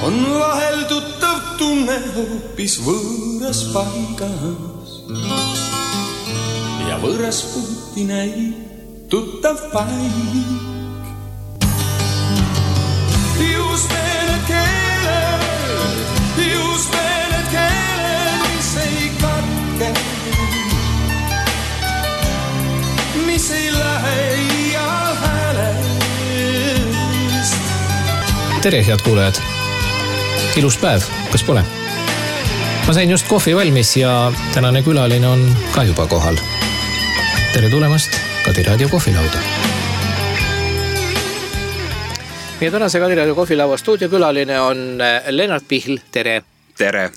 on vahel tuttav tunne hoopis võõras paigas. Ja võõras puuti näib tuttav paik. Just need keeled, mis ei katke, mis ei lähe ial häälest. Tere, head kuulajad! Ilus päev, kas pole? Ma sain just kohvi valmis ja tänane külaline on ka juba kohal. Tere tulemast Kadiraadio kohvilauda. Meie tänase Kadiraadio kohvilaua stuudiokülaline on Lennart Pihl. Tere! Tere!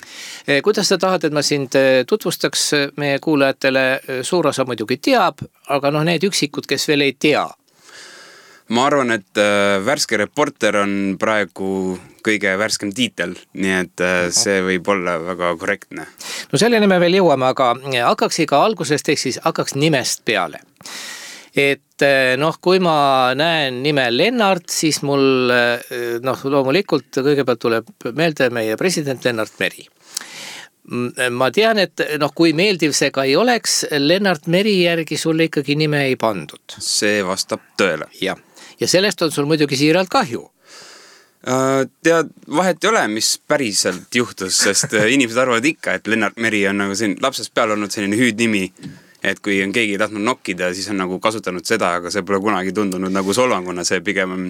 Kuidas sa tahad, et ma sind tutvustaks meie kuulajatele? Suur osa muidugi teab, aga need üksikud, kes veel ei tea. Ma arvan, et värske reporter on praegu kõige värskem tiitel, nii et see võib olla väga korrektne. No selleni me veel jõuame, aga hakkaks iga algusest, ehk siis hakkaks nimest peale. Et kui ma näen nime Lennart, siis mul loomulikult kõigepealt tuleb meelde meie president Lennart Meri. Ma tean, et kui meeldiv see ka ei oleks, Lennart Meri järgi sulle ikkagi nime ei pandud. See vastab tõele. Ja sellest on sul muidugi siiralt kahju. Tead, vahet ei ole, mis päriselt juhtus, sest inimesed arvavad ikka, et Lennart Meri on nagu lapsest peal olnud selline hüüdnimi, et kui on keegi tahtnud nokkida, siis on nagu kasutanud seda, aga see pole kunagi tundunud nagu solvanguna, see pigem on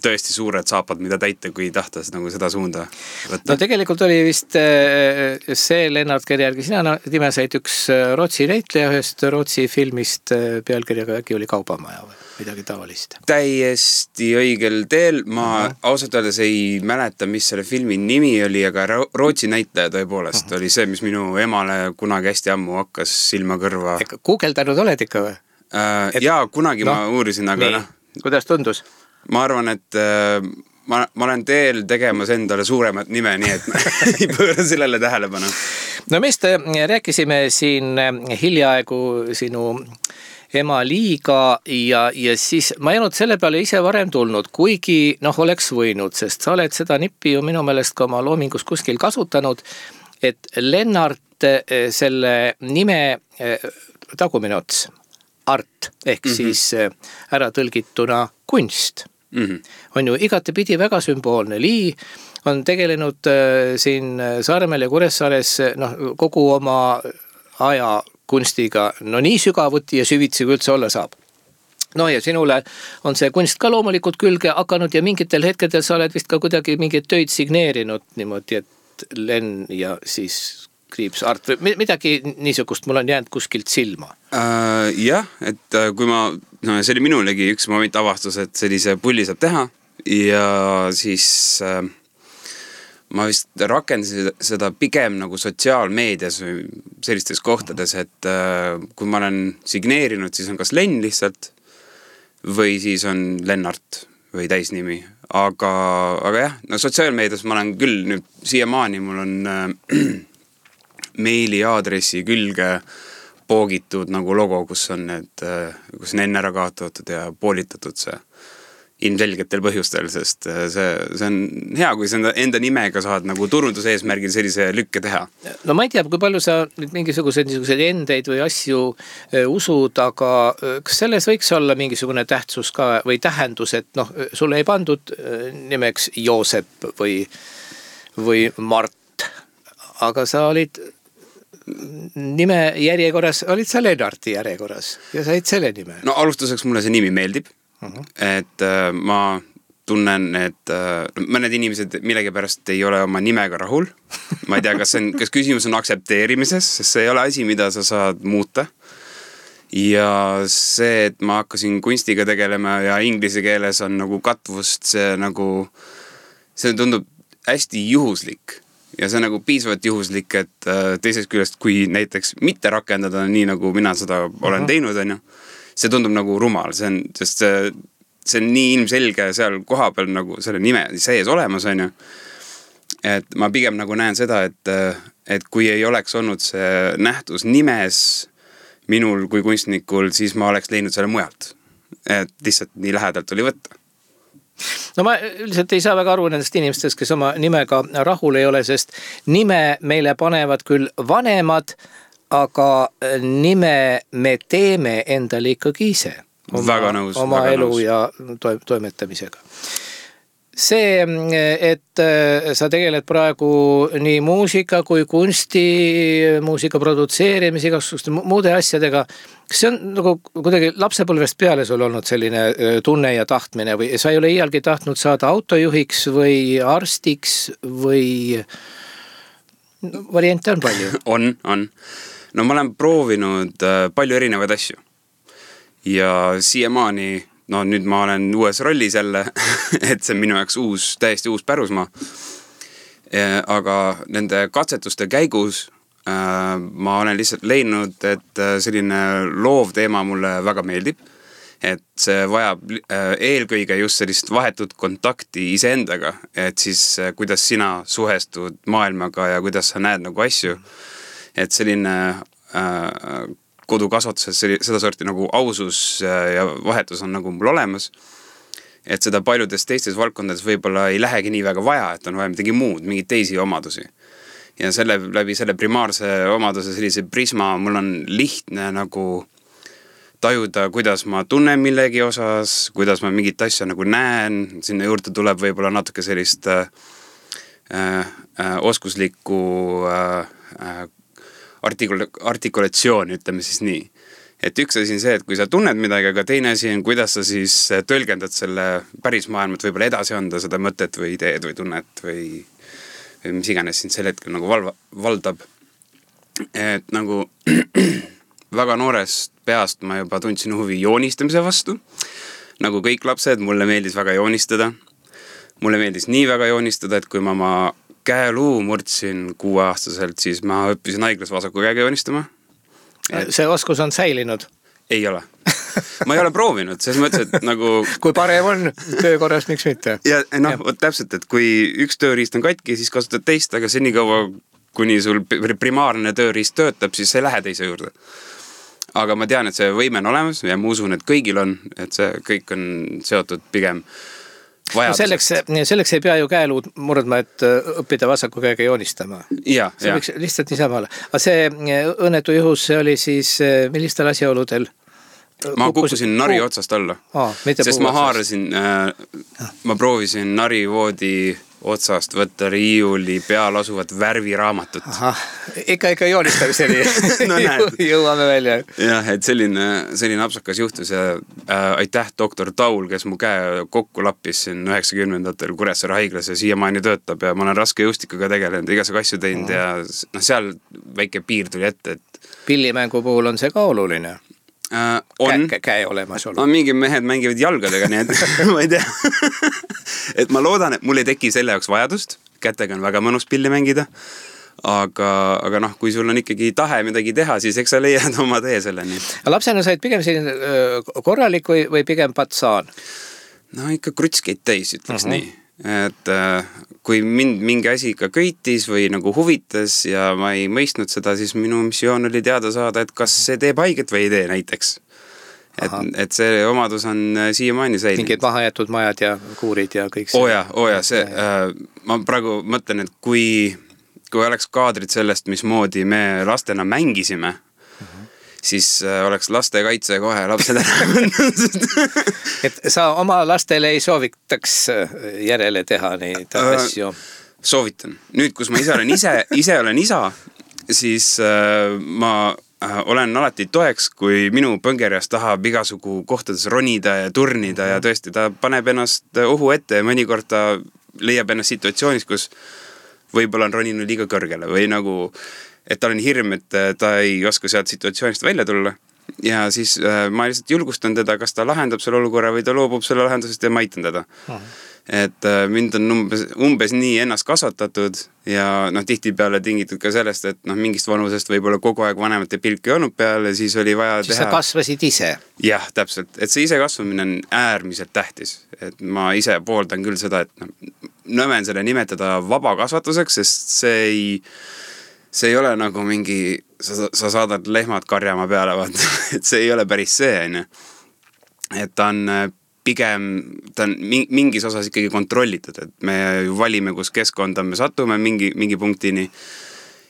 tõesti suured saapad, mida täita, kui tahtas nagu seda suunda võtta. No tegelikult oli vist see Lennart, kelle järgi sina nime said üks Rootsi näitleja ühest Rootsi filmist pealkirjaga äkki oli Kaubamaja või midagi tavalist. Täiesti õigel teel. Ma ausalt öeldes ei mäleta, mis selle filmi nimi oli, aga Rootsi näitleja tõepoolest oli see, mis minu emale kunagi hästi ammu hakkas silma kõrva. Guugeldanud oled ikka või? Jaa, kunagi ma uurisin, aga Kuidas tundus? Ma arvan, et ma olen teel tegemas endale suuremat nime, nii et ei pööra sellele tähelepanu. No meist rääkisime siin hiljaaegu sinu ema Liiga ja siis ma ei olnud selle peale ise varem tulnud, kuigi oleks võinud, sest sa oled seda nippi ju minu meelest ka oma loomingus kuskil kasutanud, et Lennart selle nime tagumine ots, art, ehk siis ära tõlgituna kunst. On ju igatepidi väga sümboolne. Lii on tegelenud siin Saaremaal ja Kuressaares kogu oma aja kunstiga, nii sügavuti ja süvitsi kui üldse olla saab. Ja sinule on see kunst ka loomulikult külge hakanud ja mingitel hetkedel sa oled vist ka kuidagi mingeid töid signeerinud niimoodi, et Len ja siis kriips art või midagi niisugust mul on jäänud kuskilt silma. Jah, et kui see oli minulegi üks moment avastus, et sellise pulli saab teha ja siis ma vist rakendasin seda pigem nagu sotsiaalmeedias või sellistes kohtades, et kui ma olen signeerinud, siis on kas Len lihtsalt või siis on Lennart või täisnimi. Aga jah, sotsiaalmeedias ma olen küll nüüd siiamaani, mul on meili aadressi külge poogitud nagu logo, kus on enne ära kaotatud ja poolitatud see ilmselgetel põhjustel, sest see on hea, kui sa enda nimega saad nagu turunduse eesmärgil sellise lükke teha. No ma ei tea, kui palju sa nüüd mingisuguseid endeid või asju usud, aga kas selles võiks olla mingisugune tähtsus ka või tähendus, et sulle ei pandud nimeks Joosep või Mart, aga sa olid nime järjekorras, olid sa Lennarti järjekorras ja said selle nime? No alustuseks mulle see nimi meeldib. Et ma tunnen, et mõned inimesed millegipärast ei ole oma nimega rahul. Ma ei tea, kas küsimus on aktsepteerimises, sest see ei ole asi, mida sa saad muuta. Ja see, et ma hakkasin kunstiga tegelema ja inglise keeles on nagu katvust, see tundub hästi juhuslik. Ja see on nagu piisavalt juhuslik, et teisest küljest, kui näiteks mitte rakendada nii, nagu mina seda olen teinud, see tundub nagu rumal, sest see on nii ilmselge seal koha peal nagu selle nime sees olemas, et ma pigem nagu näen seda, et kui ei oleks olnud see nähtus nimes minul kui kunstnikul, siis ma oleks leidnud selle mujalt. Et lihtsalt nii lähedalt oli võtta. No ma üldiselt ei saa väga aru nendest inimestest, kes oma nimega rahul ei ole, sest nime meile panevad küll vanemad, aga nime me teeme endale ikkagi ise. Oma elu ja toimetamisega. See, et sa tegeled praegu nii muusika kui kunsti, muusika produtseerimisega, muude asjadega, see on nagu kuidagi lapsepõlvest peale sul olnud selline tunne ja tahtmine või sa ei ole iialgi tahtnud saada autojuhiks või arstiks või variante on palju? On. No ma olen proovinud palju erinevaid asju ja siiamaani no nüüd ma olen uues rollis jälle, et see on minu jaoks täiesti uus pärusmaa. Aga nende katsetuste käigus ma olen lihtsalt leidnud, et selline loov teema mulle väga meeldib. Et see vajab eelkõige just sellist vahetut kontakti iseendaga, et siis kuidas sina suhestud maailmaga ja kuidas sa näed nagu asju. Et selline kodukasvatuses seda sorti nagu ausus ja vahetus on nagu mul olemas. Et seda paljudes teistes valdkondades võib-olla ei lähegi nii väga vaja, et on vaja midagi muud, mingeid teisi omadusi. Ja läbi selle primaarse omaduse sellise prisma mul on lihtne nagu tajuda, kuidas ma tunnen millegi osas, kuidas ma mingit asja nagu näen. Sinna juurde tuleb võib-olla natuke sellist oskuslikku artikulatsioon, ütleme siis nii. Et üks asi on see, et kui sa tunned midagi, aga teine asi on, kuidas sa siis tõlgendad selle päris maailmat võib-olla edasi anda seda mõtet või ideed või tunnet või mis iganes siin sel hetkel nagu valdab. Et nagu väga noorest peast ma juba tundsin huvi joonistamise vastu. Nagu kõik lapsed, mulle meeldis väga joonistada. Mulle meeldis nii väga joonistada, et kui ma oma käeluu murdsin 6-aastaselt, siis ma õppisin haiglas vasaku käega joonistama. See oskus on säilinud? Ei ole. Ma ei ole proovinud, selles mõttes, et nagu... Kui parem on töökorras, miks mitte? Ja noh, täpselt, et kui üks tööriist on katki, siis kasutad teist, aga seni kaua, kuni sul primaarne tööriist töötab, siis ei lähe teise juurde. Aga ma tean, et see võime on olemas ja ma usun, et kõigil on, et see kõik on seotud pigem vajadusest. No selleks ei pea ju käeluud murdma, et õppida vasaku käega joonistama. Ja. Võiks lihtsalt niisama olla. Aga see õnnetu juhus, see oli siis millistel asjaoludel? Ma kukkusin nari otsast alla. Sest ma haarasin, ma proovisin narivoodi otsast võtta riiuli peal asuvat värviraamatut. Ikka joonistamiseni no, jõuame välja. Jah, et selline apsakas juhtus ja aitäh doktor Taul, kes mu käe kokku lappis siin 90-ndatel Kuressaare haiglas ja siiamaani töötab ja ma olen raske jõustikuga tegelenud, igasugu asju teinud ja no, seal väike piir tuli ette. Et... Pillimängu puhul on see ka oluline. On. Käe olemas olnud. No, mingi mehed mängivad jalgadega, nii et ma ei tea. Et ma loodan, et mul ei teki selle jaoks vajadust. Kätega on väga mõnus pilli mängida. Aga noh, kui sul on ikkagi tahe midagi teha, siis eks sa leiad oma tee selleni. Lapsena said pigem selline korralik või pigem patsaan? No ikka krutskeid täis, ütleks nii. Et kui mind mingi asi ikka köitis või nagu huvitas ja ma ei mõistnud seda, siis minu missioon oli teada saada, et kas see teeb haiget või ei tee näiteks. Et see omadus on siiamaani säilinud. Mingid mahajätud majad ja kuurid ja kõik see. Oja, see. Ma praegu mõtlen, et kui oleks kaadrid sellest, mismoodi me lastena mängisime, siis oleks lastekaitse kohe lapsed ära. Et sa oma lastele ei soovitaks järele teha neid asju? Soovitan. Nüüd, kus ma ise olen isa, siis ma olen alati toeks, kui minu põngerjas tahab igasugu kohtades ronida ja turnida ja tõesti ta paneb ennast ohu ette ja mõnikord ta leiab ennast situatsioonis, kus võib-olla on roninud liiga kõrgele või nagu et tal on hirm, et ta ei oska sealt situatsioonist välja tulla. Ja siis ma lihtsalt julgustan teda, kas ta lahendab selle olukorra või ta loobub selle lahendusest ja ma aitan teda. Et mind on umbes nii ennast kasvatatud ja noh, tihtipeale tingitud ka sellest, et noh, mingist vanusest võib-olla kogu aeg vanemate pilk ei olnud peale, siis oli vaja siis teha. Sa kasvasid ise? Jah, täpselt. Et see ise kasvamine on äärmiselt tähtis. Et ma ise pooldan küll seda, et nõmen selle nimetada vaba kasvatuseks, sest see ei ole nagu mingi, sa saadad lehmad karjama peale, vaata. Et see ei ole päris see, on. Et ta on pigem ta on mingis osas ikkagi kontrollitud, et me ju valime, kus keskkonda me satume mingi punktini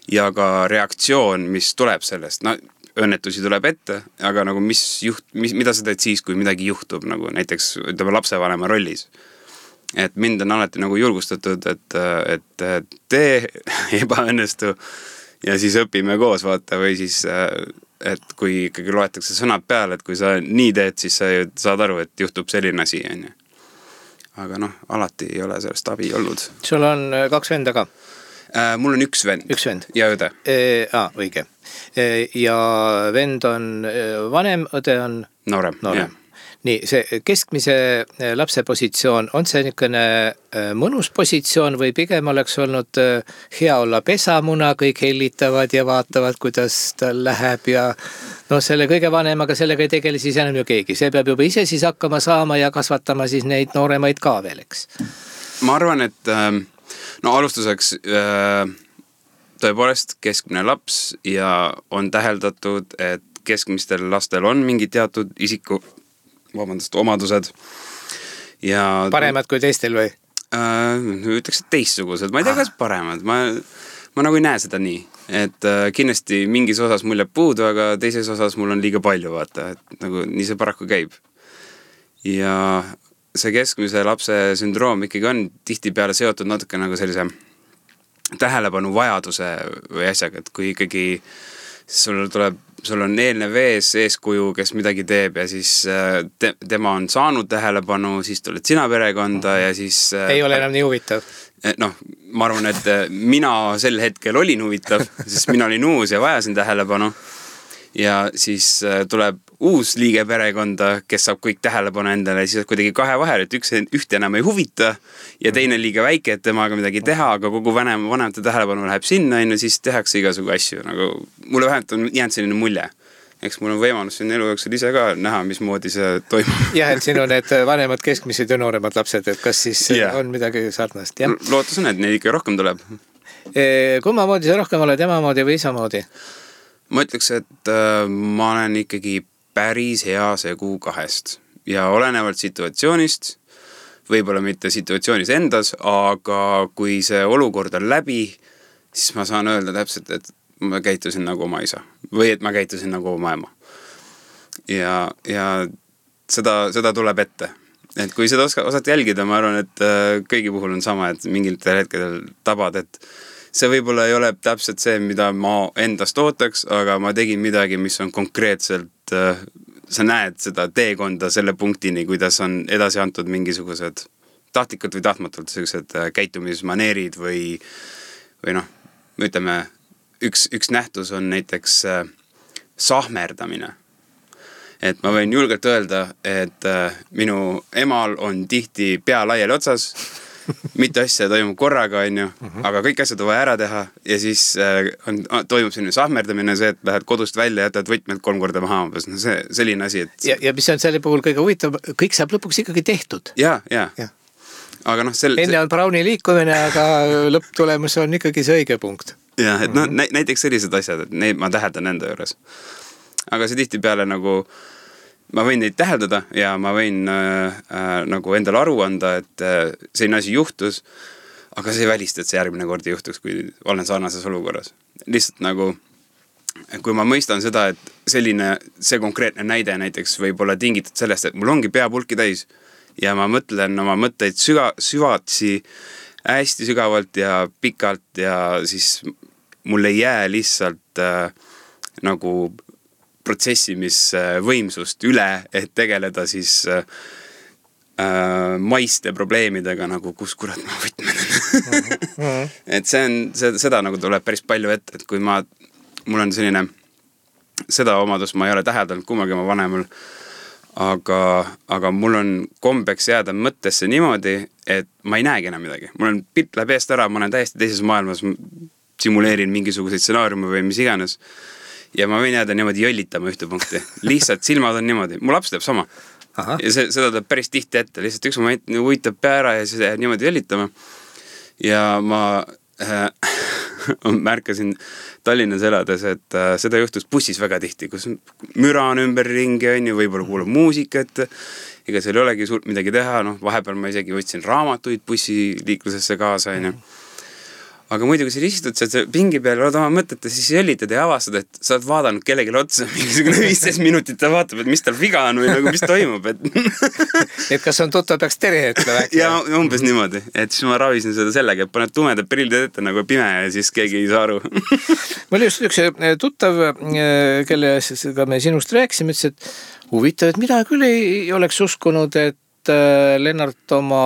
ja ka reaktsioon, mis tuleb sellest, no õnnetusi tuleb ette, aga nagu mida sa teed siis, kui midagi juhtub, nagu näiteks ütleme lapsevanema rollis. Et mind on alati nagu julgustatud, et tee ebaõnnestu ja siis õpime koos, vaata, või siis, et kui ikkagi loetakse sõnad peale, et kui sa nii teed, siis sa saad aru, et juhtub selline asi, on ju. Aga noh, alati ei ole sellest abi olnud. Sul on 2 venda ka? Mul on üks vend ja õde. Õige. Ja vend on vanem, õde on noorem. Nii, see keskmise lapse positsioon, on see niisugune mõnus positsioon või pigem oleks olnud hea olla pesamuna, kõik hellitavad ja vaatavad, kuidas tal läheb ja no selle kõige vanemaga sellega ei tegele siis enam ju keegi. See peab juba ise siis hakkama saama ja kasvatama siis neid nooremaid ka veel, eks? Ma arvan, et no alustuseks tõepoolest keskmine laps ja on täheldatud, et keskmistel lastel on mingi teatud omadused. Ja paremad kui teistel või? Ütleks, et teistsugused. Ma ei tea, kas paremad. Ma nagu ei näe seda nii. Et kindlasti mingis osas mul jääb puudu, aga teises osas mul on liiga palju, vaata. Et nagu nii see paraku käib. Ja see keskmise lapse sündroom ikkagi on tihtipeale seotud natuke nagu sellise tähelepanu vajaduse või asjaga, et kui ikkagi sul on eelnev eeskuju, kes midagi teeb ja siis tema on saanud tähelepanu, siis tuled sina perekonda ja siis ei ole enam nii huvitav. Noh, ma arvan, et mina sel hetkel olin huvitav, sest mina olin uus ja vajasin tähelepanu ja siis tuleb uus liige perekonda, kes saab kõik tähelepanu endale ja siis kuidagi kahe vahel, et ühte enam ei huvita ja teine liiga väike, et temaga midagi teha, aga kogu vanemate tähelepanu läheb sinna ja siis tehakse igasugu asju. Nagu, mulle vähemalt on jäänud selline mulje. Eks mul on võimalus siin elu jooksul ise ka näha, mismoodi see toimub. Jah, et siin on need vanemad, keskmised ja nooremad lapsed, et kas siis on midagi sarnast? Lootus on, et neid ikka rohkem tuleb. Kumma moodi sa rohkem oled, ema moodi või isa moodi? Ma ütleks, et ma olen ikkagi päris hea segu kahest ja olenevalt situatsioonist, võib-olla mitte situatsioonis endas, aga kui see olukord on läbi, siis ma saan öelda täpselt, et ma käitusin nagu oma isa või et ma käitusin nagu oma ema. Ja seda tuleb ette. Et kui seda osad jälgida, ma arvan, et kõigi puhul on sama, et mingitel hetkedel tabad, et see võib-olla ei ole täpselt see, mida ma endast ootaks, aga ma tegin midagi, mis on konkreetselt, sa näed seda teekonda selle punktini, kuidas on edasi antud mingisugused tahtlikud või tahtmatult sellised käitumismaneerid või noh, ütleme, üks nähtus on näiteks sahmerdamine. Et ma võin julgelt öelda, et minu emal on tihti pea laiali otsas, mitte asja toimub korraga, on ju, aga kõik asjad on vaja ära teha ja siis toimub selline sahmerdamine, see, et lähed kodust välja ja jätad võtmed 3 korda maha. No see selline asi, et... Ja mis on selle puhul kõige huvitav, kõik saab lõpuks ikkagi tehtud. Ja. Aga noh, enne on Browni liikumine, aga lõpptulemus on ikkagi see õige punkt. Ja, et näiteks sellised asjad, et neid ma täheldan enda juures. Aga see tihtipeale nagu... Ma võin neid täheldada ja ma võin nagu endale aru anda, et selline asi juhtus, aga see ei välista, et see järgmine kord ei juhtuks, kui olen sarnases olukorras. Lihtsalt nagu, kui ma mõistan seda, et see konkreetne näide näiteks võib olla tingitud sellest, et mul ongi pea pulki täis ja ma mõtlen oma mõtteid süvatsi hästi sügavalt ja pikalt ja siis mul ei jää lihtsalt nagu protsessimisvõimsust üle, et tegeleda siis maiste probleemidega nagu kus kurat ma võtmen. Et seda nagu tuleb päris palju ette, et kui mul on selline, seda omadust ma ei ole täheldanud kummagi oma vanemal, aga mul on kombeks jääda mõttesse niimoodi, et ma ei näegi enam midagi. Mul on pilt läheb eest ära, ma olen täiesti teises maailmas, simuleerin mingisuguseid stsenaariume või mis iganes. Ja ma võin jääda niimoodi jõllitama ühte punkti. Lihtsalt silmad on niimoodi. Mu laps teeb sama. Aha. Ja seda teeb päris tihti ette. Lihtsalt üks moment uitab pea ära ja siis jääb niimoodi jõllitama. Ja ma märkasin Tallinnas elades, et seda juhtus bussis väga tihti, kus müra on ümber ringi, on ju, võib-olla kuulab muusikat ega seal ei olegi suurt midagi teha, noh, vahepeal ma isegi võtsin raamatuid bussiliiklusesse kaasa, onju. Aga muidu, kui sa istud seal pingi peal, oled oma mõtete, siis jõllitad ja avastad, et sa oled vaadanud kellelegi otsa mingisugune 15 minutit ja vaatab, et mis tal viga on või nagu mis toimub, et et kas on tuttav, peaks tere ütlema äkki? Ja umbes niimoodi, et siis ma ravisin seda sellega, et paned tumedad prillid ette nagu pime ja siis keegi ei saa aru. Mul just üks tuttav, kellega me sinust rääkisime, ütles, et huvitav, et mida küll ei oleks uskunud, et Lennart oma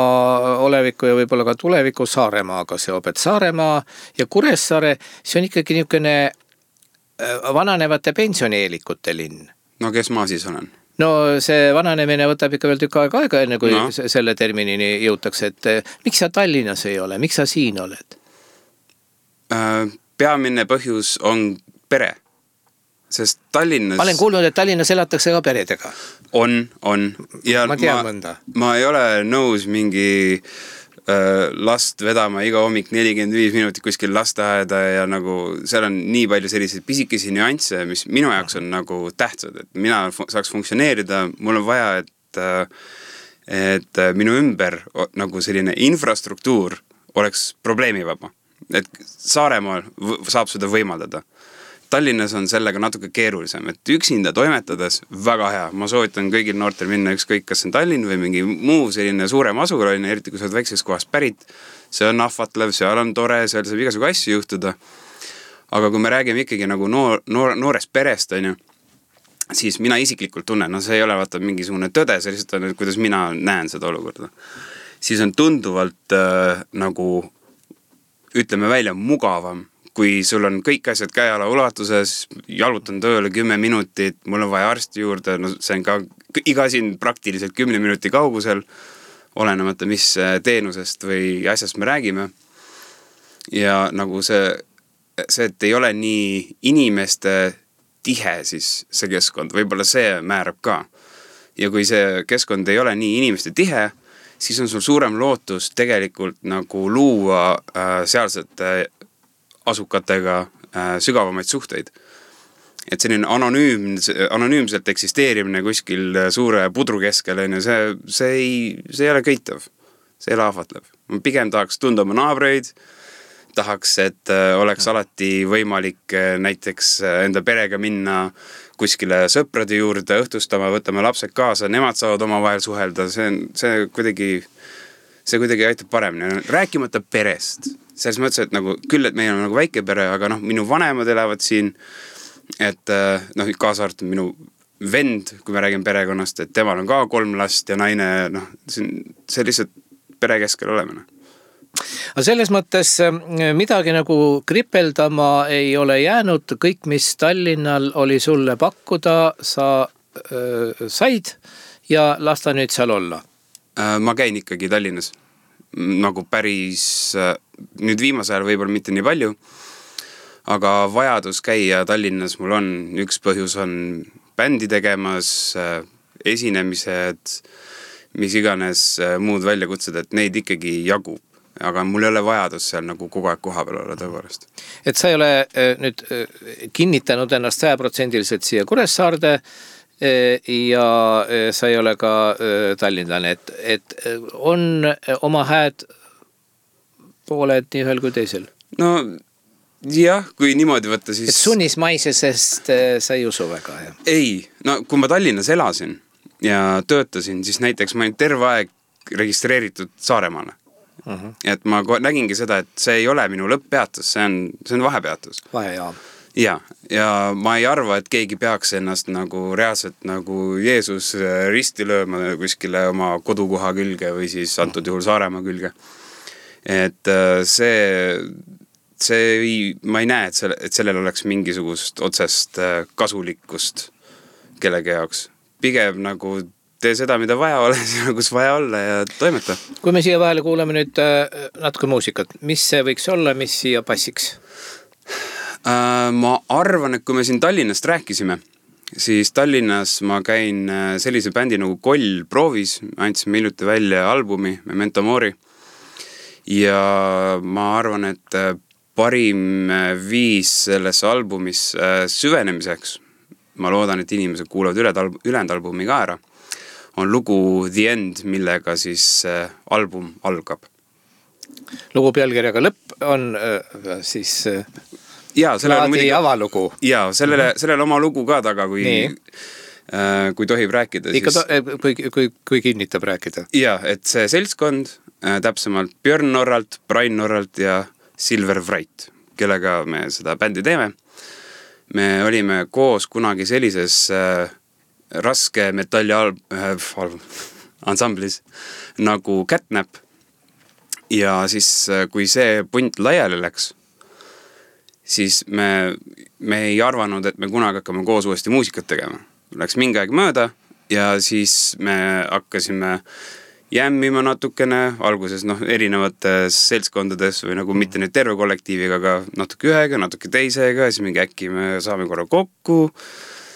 oleviku ja võib-olla ka tuleviku Saaremaaga seob, et Saaremaa ja Kuressaare, see on ikkagi niisugune vananevate pensionieelikute linn. No kes ma siis olen? No see vananemine võtab ikka veel tükk aega, enne kui selle terminini jõutakse, et miks sa Tallinnas ei ole, miks sa siin oled? Peamine põhjus on pere. Sest Tallinnas... Ma olen kuulnud, et Tallinnas elatakse ka peredega. On. Ja ma tean mõnda. Ma ei ole nõus mingi last vedama iga hommik 45 minutit kuskil lasteaeda ja nagu seal on nii palju selliseid pisikesi nüansse, mis minu jaoks on nagu tähtsad, et mina saaks funktsioneerida, mul on vaja, et minu ümber nagu selline infrastruktuur oleks probleemivaba. Et Saaremaal saab seda võimaldada. Tallinnas on sellega natuke keerulisem, et üksinda toimetades väga hea. Ma soovitan kõigil noortel minna ükskõik, kas on Tallinn või mingi muu selline suurem asulaline, eriti kui sa oled väiksest kohast pärit. See on ahvatlev, seal on tore, seal saab igasugu asju juhtuda. Aga kui me räägime ikkagi nagu noorest perest, siis mina isiklikult tunnen, no see ei ole vaata mingisugune tõde, see lihtsalt on, kuidas mina näen seda olukorda. Siis on tunduvalt nagu, ütleme välja, mugavam, kui sul on kõik asjad käeala ulatuses, jalutan tööle 10 minutit, mul on vaja arsti juurde, no see on ka iga siin praktiliselt 10 minuti kaugusel, olenemata mis teenusest või asjast me räägime. Ja nagu see, et ei ole nii inimeste tihe siis see keskkond, võib-olla see määrab ka. Ja kui see keskkond ei ole nii inimeste tihe, siis on sul suurem lootus tegelikult nagu luua sealsete asukatega sügavamaid suhteid. Et selline anonüümselt eksisteerimine kuskil suure pudru keskel, see ei ole köitav. See ei ole ahvatlev. Ma pigem tahaks tunda oma naabreid, tahaks, et oleks alati võimalik näiteks enda perega minna kuskile sõprade juurde õhtustama, võtame lapsed kaasa, nemad saavad oma vahel suhelda, see kuidagi aitab paremini. Rääkimata perest. Selles mõttes, et nagu, küll, et meil on nagu väike pere, aga noh, minu vanemad elavad siin, et noh, kaasa arvatud minu vend, kui me räägime perekonnast, et temal on ka 3 last ja naine, noh, see lihtsalt pere keskel olemine. Aga selles mõttes midagi nagu kripeldama ei ole jäänud, kõik, mis Tallinnal oli sulle pakkuda, sa said ja lasta nüüd seal olla? Ma käin ikkagi Tallinnas. Nagu päris, nüüd viimase ajal võib-olla mitte nii palju, aga vajadus käia Tallinnas mul on, üks põhjus on bändi tegemas, esinemised, mis iganes muud väljakutsed, et neid ikkagi jagub. Aga mul ei ole vajadus seal nagu kogu aeg koha peal olla tõepoolest. Et sa ei ole nüüd kinnitanud ennast 100% siia Kuressaarde ja sa ei ole ka tallinlane, et on oma hääd pooled nii ühel kui teisel? No jah, kui niimoodi võtta, siis... Et sunnismaisesest sa ei usu väga, jah? Ei, no kui ma Tallinnas elasin ja töötasin, siis näiteks ma olin terve aeg registreeritud Saaremaale. Et ma nägingi seda, et see ei ole minu lõpppeatus, see on vahepeatus. Vahejaam. Ja ma ei arva, et keegi peaks ennast nagu reaalselt nagu Jeesus risti lööma kuskile oma kodukoha külge või siis antud juhul Saaremaa külge. Et ma ei näe, et sellel oleks mingisugust otsest kasulikkust kellegi jaoks. Pigem nagu tee seda, mida vaja ole, kus vaja olla ja toimeta. Kui me siia vahele kuuleme nüüd natuke muusikat, mis see võiks olla, mis siia passiks? Ma arvan, et kui me siin Tallinnast rääkisime, siis Tallinnas ma käin sellise bändi nagu Koll proovis, andsime hiljuti välja albumi Memento Mori ja ma arvan, et parim viis selles albumis süvenemiseks, ma loodan, et inimesed kuulavad ülejäänud albumi ka ära, on lugu The End, millega siis album algab. Lugu pealkirjaga Lõpp on siis plaadi avalugu. Jaa, sellele oma lugu ka taga, kui tohib rääkida. Kui kinnitab rääkida. Jaa, et see seltskond, täpsemalt Björn Norralt, Brian Norralt ja Silver Wright, kellega me seda bändi teeme. Me olime koos kunagi sellises raske metalli ansamblis nagu Catnap. Ja siis, kui see punt laiali läks, siis me ei arvanud, et me kunagi hakkame koos uuesti muusikat tegema. Läks mingi aeg mööda ja siis me hakkasime jämmima natukene, alguses erinevates seltskondades või nagu mitte nüüd terve kollektiiviga, aga natuke ühega, natuke teisega, siis mingi äkki me saame korra kokku.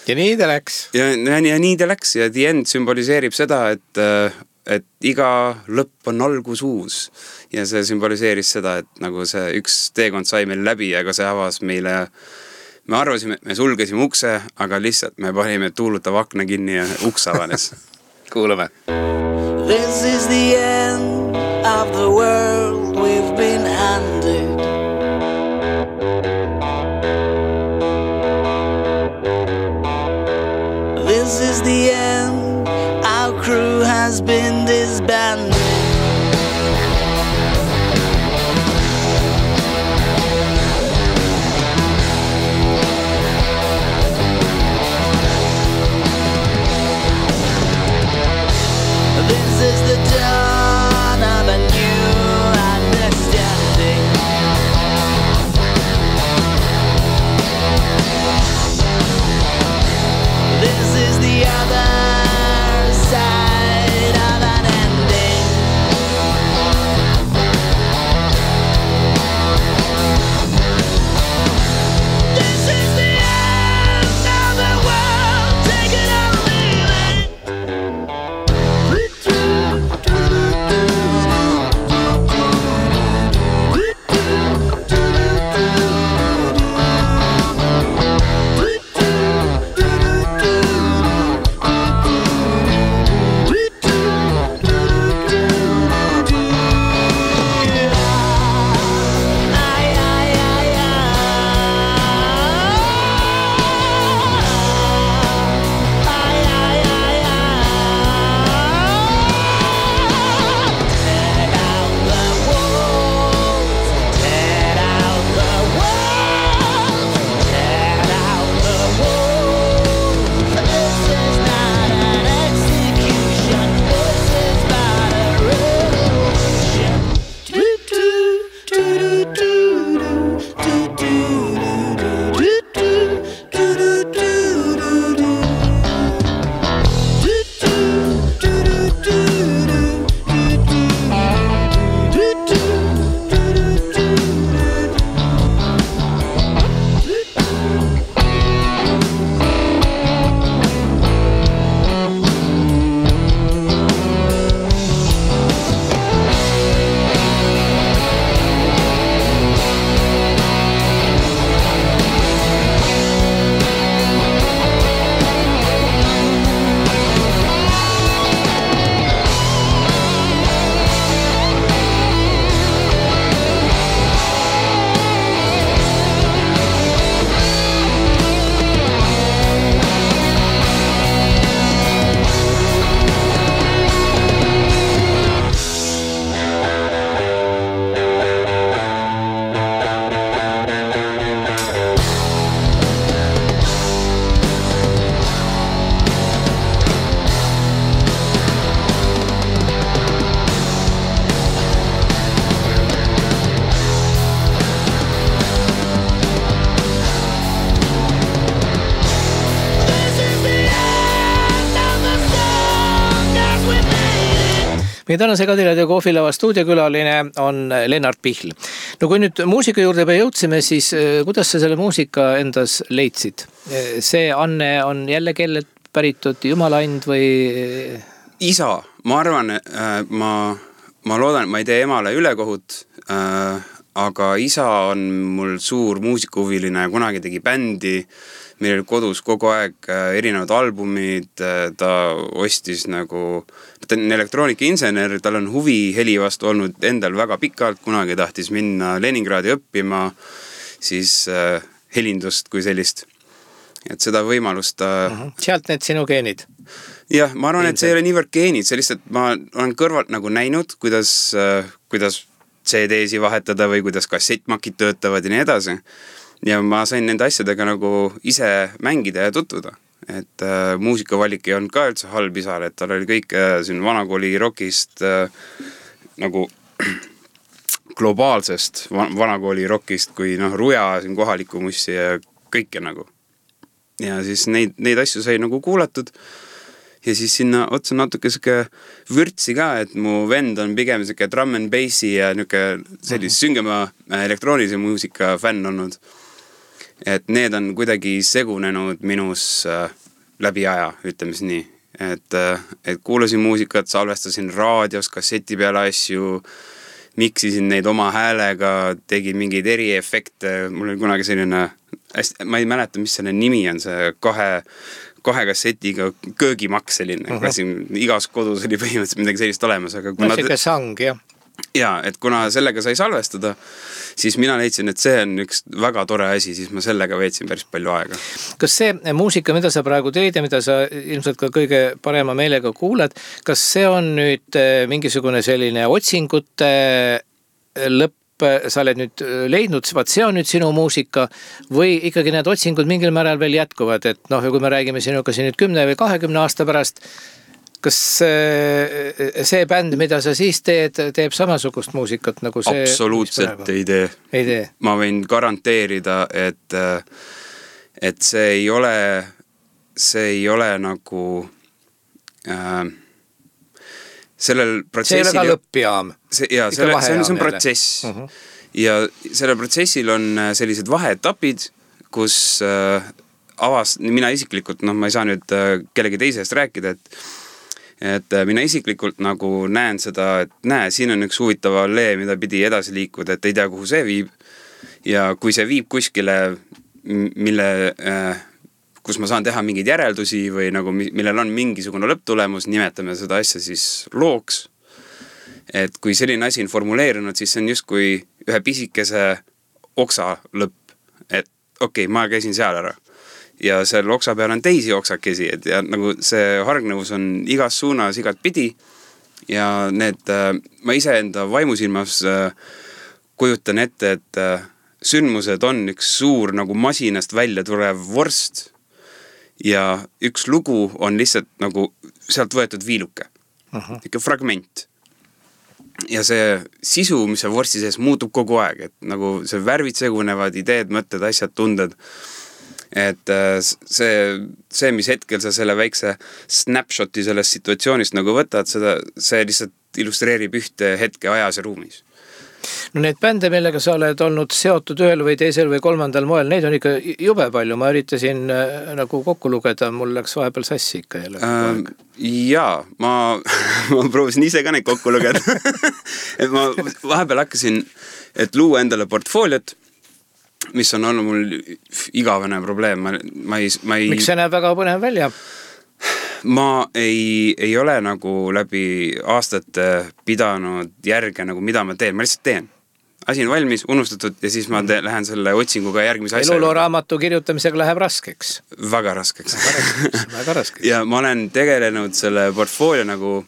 Ja nii ta läks. Ja nii ta läks ja The End symboliseerib seda, et iga lõpp on algus uus. Ja see symboliseeris seda, et nagu see üks teekond sai meil läbi, aga see avas meile. Me arvasime, et me sulgesime ukse, aga lihtsalt me panime tuulutav akna kinni ja uks avanes. Kuulame. This is the end of the world we've been handed. This is the end, our crew has been disbanded. This is the dawn of a new understanding. This is the other side of an ending. This is the end of the world, take it or leave it. Meie tänase Kadilaid ja Kohvilava stuudiokülaline on Lennart Pihl. No kui nüüd muusika juurde jõudsime, siis kuidas sa selle muusika endas leidsid? See Anne on jälle kellelt päritud Jumala and või? Isa, ma arvan, ma loodan, et ma ei tee emale ülekohut, aga isa on mul suur muusikahuviline ja kunagi tegi bändi, meil oli kodus kogu aeg erinevad albumid, ta ostis nagu, ta on elektroonikainsener, tal on huvi heli vastu olnud endal väga pikalt, kunagi tahtis minna Leningradi õppima, siis helindust kui sellist. Et seda võimalust Sealt need sinu geenid? Jah, ma arvan, et see ei ole niivõrd geenid, see lihtsalt ma olen kõrvalt nagu näinud, kuidas CD-si vahetada või kuidas kassettmakid töötavad ja nii edasi. Ja ma sain nende asjadega nagu ise mängida ja tutvuda. Et muusikavalik ei olnud ka üldse halb isal, et tal oli kõik siin vanakooli rockist nagu globaalsest vanakooli rockist kui Ruja siin kohaliku mussi ja kõike nagu. Ja siis neid asju sai nagu kuulatud ja siis sinna otsa natuke vürtsi ka, et mu vend on pigem drum and bassi ja sellist süngema elektroonilise muusika fänn olnud. Et need on kuidagi segunenud minus läbi aja, ütleme nii. Et kuulasin muusikat, salvestasin raadios, kasseti peale asju, miksisin neid oma häälega, tegin mingeid eriefekte, mul oli kunagi selline, ma ei mäleta, mis selle nimi on, see kahe kassetiga köögimaks selline, igas kodus oli põhimõtteliselt midagi sellist olemas, aga kuna siuke sang, jah. Ja, et kuna sellega sai salvestada, siis mina leidsin, et see on üks väga tore asi, siis ma sellega veetsin päris palju aega. Kas see muusika, mida sa praegu teed ja mida sa ilmselt ka kõige parema meelega kuulad, kas see on nüüd mingisugune selline otsingute lõpp, sa oled nüüd leidnud, vaat see on nüüd sinu muusika või ikkagi need otsingud mingil määral veel jätkuvad, et kui me räägime sinuga siin nüüd 10 või 20 aasta pärast, kas see bänd, mida sa siis teeb samasugust muusikat nagu see? Absoluutselt ei tee. Ma võin garanteerida, et see ei ole nagu sellel protsessil... See ei ole ka lõppjaam. See on protsess. Ja sellel protsessil on sellised vaheetapid, kus mina isiklikult, ma ei saa nüüd kellegi teisest rääkida, et mina isiklikult nagu näen seda, et siin on üks huvitav allee, mida pidi edasi liikuda, et ei tea, kuhu see viib. Ja kui see viib kuskile, kus ma saan teha mingeid järeldusi või nagu, millel on mingisugune lõpptulemus, nimetame seda asja siis looks. Et kui selline asi on formuleerinud, siis see on just kui ühe pisikese oksa lõpp. Et okei, ma käisin seal ära. Ja seal oksa peal on teisi oksakesi, et ja nagu see hargnevus on igas suunas, igat pidi ja ma ise enda vaimusilmas kujutan ette, et sündmused on üks suur nagu masinast välja tulev vorst ja üks lugu on lihtsalt nagu sealt võetud viiluke, ikka fragment. Ja see sisu, mis see vorsti sees muutub kogu aeg, et nagu see värvid segunevad, ideed, mõtted, asjad, tunded. Et see, mis hetkel sa selle väikse snapshoti sellest situatsioonist nagu võtad, see lihtsalt illustreerib ühte hetke ajas ja ruumis. No need bände, millega sa oled olnud seotud ühel või teisel või kolmandal moel, neid on ikka jube palju. Ma üritasin nagu kokku lugeda, mul läks vahepeal sassi ikka jälle. Jaa, ma proovisin ise ka neid kokku lugeda. Et ma vahepeal hakkasin, et luua endale portfooliot, mis on olnud mul igavene probleem. Miks see näeb väga põnev välja? Ma ei ole nagu läbi aastate pidanud järge, nagu mida ma teen. Ma lihtsalt teen. Asi on valmis, unustatud ja siis ma lähen selle otsinguga järgmise asja. Eluloraamatu kirjutamisega läheb raskeks. Väga raskeks. Väga raskeks. Ja ma olen tegelenud selle portfoolio nagu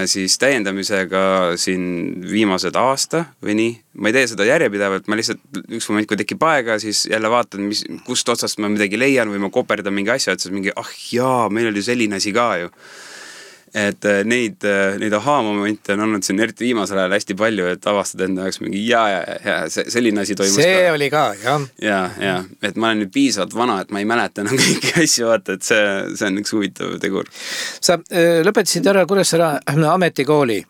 siis täiendamisega siin viimased aasta või nii. Ma ei tee seda järjepidevalt, ma lihtsalt üks moment, kui tekib aega, siis jälle vaatan, kust otsast ma midagi leian või ma koperdan mingi asja, et siis mingi, meil oli selline asi ka ju. Et neid aha-momente on olnud siin eriti viimasel ajal hästi palju, et avastada enda jaoks mingi selline asi toimus see ka. Oli ka, jah. Ja, et ma olen nüüd piisavalt vana, et ma ei mäleta enam kõiki asju, vaata, et see on üks huvitav tegur. Sa lõpetasid ära Kuressaare ametikooli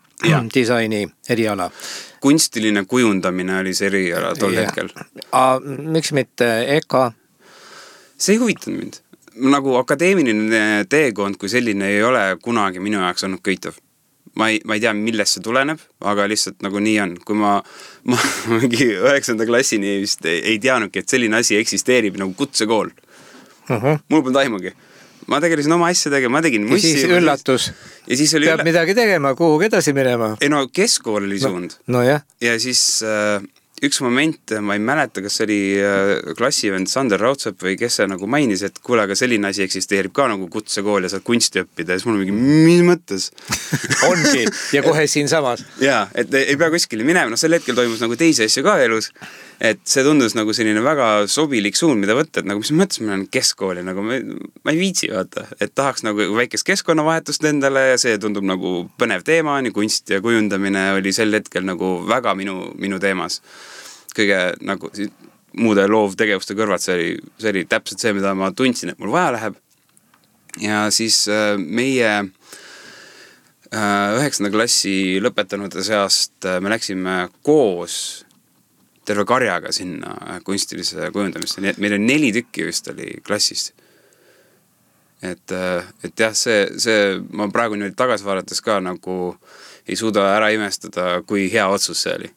disaini eriala. Kunstiline kujundamine oli see eriala tol hetkel. Miks mitte EKA? See ei huvitanud mind. Nagu akadeemiline teekond kui selline ei ole kunagi minu jaoks olnud köitav. ma ei tea, millest see tuleneb, aga lihtsalt nagu nii on. Kui ma mingi 9. klassini vist ei teadnudki, et selline asi eksisteerib nagu kutsekool. Mul polnud aimugi. Ma tegelesin oma asjadega, ma tegin mussi. Ja siis üllatus. Ja siis oli peab midagi tegema, kuhugi edasi minema. Ei no keskkool oli suund. No jah. Ja siis üks moment, ma ei mäleta, kas oli klassivend Sander Raudsepp või kes see nagu mainis, et kuule, aga selline asi eksisteerib ka nagu kutsekool ja saad kunsti õppida. Ja siis mul mingi, mis mõttes? Ongi, ja kohe siin samas. Jaa, et ei pea kuskile minema. No sel hetkel toimus nagu teisi asju ka elus. Et see tundus nagu selline väga sobilik suund, mida võtta, et nagu mis mõttes ma olen keskkooli, nagu ma ei viitsi vaata, et tahaks nagu väikest keskkonnavahetust endale ja see tundub nagu põnev teema, nii kunst ja kujundamine oli sel hetkel nagu väga minu teemas. Kõige nagu muude loovtegevuste kõrvalt see oli täpselt see, mida ma tundsin, et mul vaja läheb. Ja siis meie 9. klassi lõpetanud seast me läksime koos terve karjaga sinna kunstilise kujundamist. Nii et meil on 4 tükki vist oli klassist. Et jah, see ma praegu nüüd tagasi vaadates ka nagu ei suuda ära imestada, kui hea otsus see oli.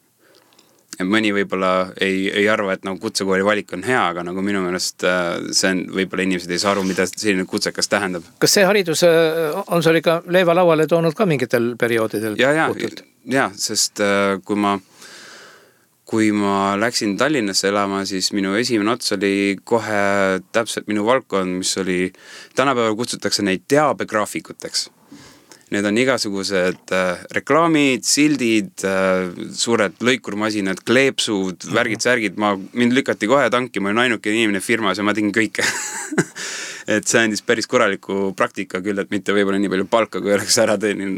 Et mõni võib-olla ei arva, et nagu kutsekooli valik on hea, aga nagu minu meelest see on, võib-olla inimesed ei saa aru, mida selline kutsekas tähendab. Kas see haridus on sul ikka leiva lauale toonud ka mingitel perioodidel? Ja, sest kui ma läksin Tallinnasse elama, siis minu esimene ots oli kohe täpselt minu valdkond, mis oli, tänapäeval kutsutakse neid teabegraafikuteks. Need on igasugused reklaamid, sildid, suured lõikurmasinad, kleepsud, värgid-särgid. Mind lükati kohe tanki, ma olin ainuke inimene firmas ja ma tegin kõike. Et see andis päris korraliku praktika küll, et mitte võib-olla nii palju palka, kui oleks ära teenin.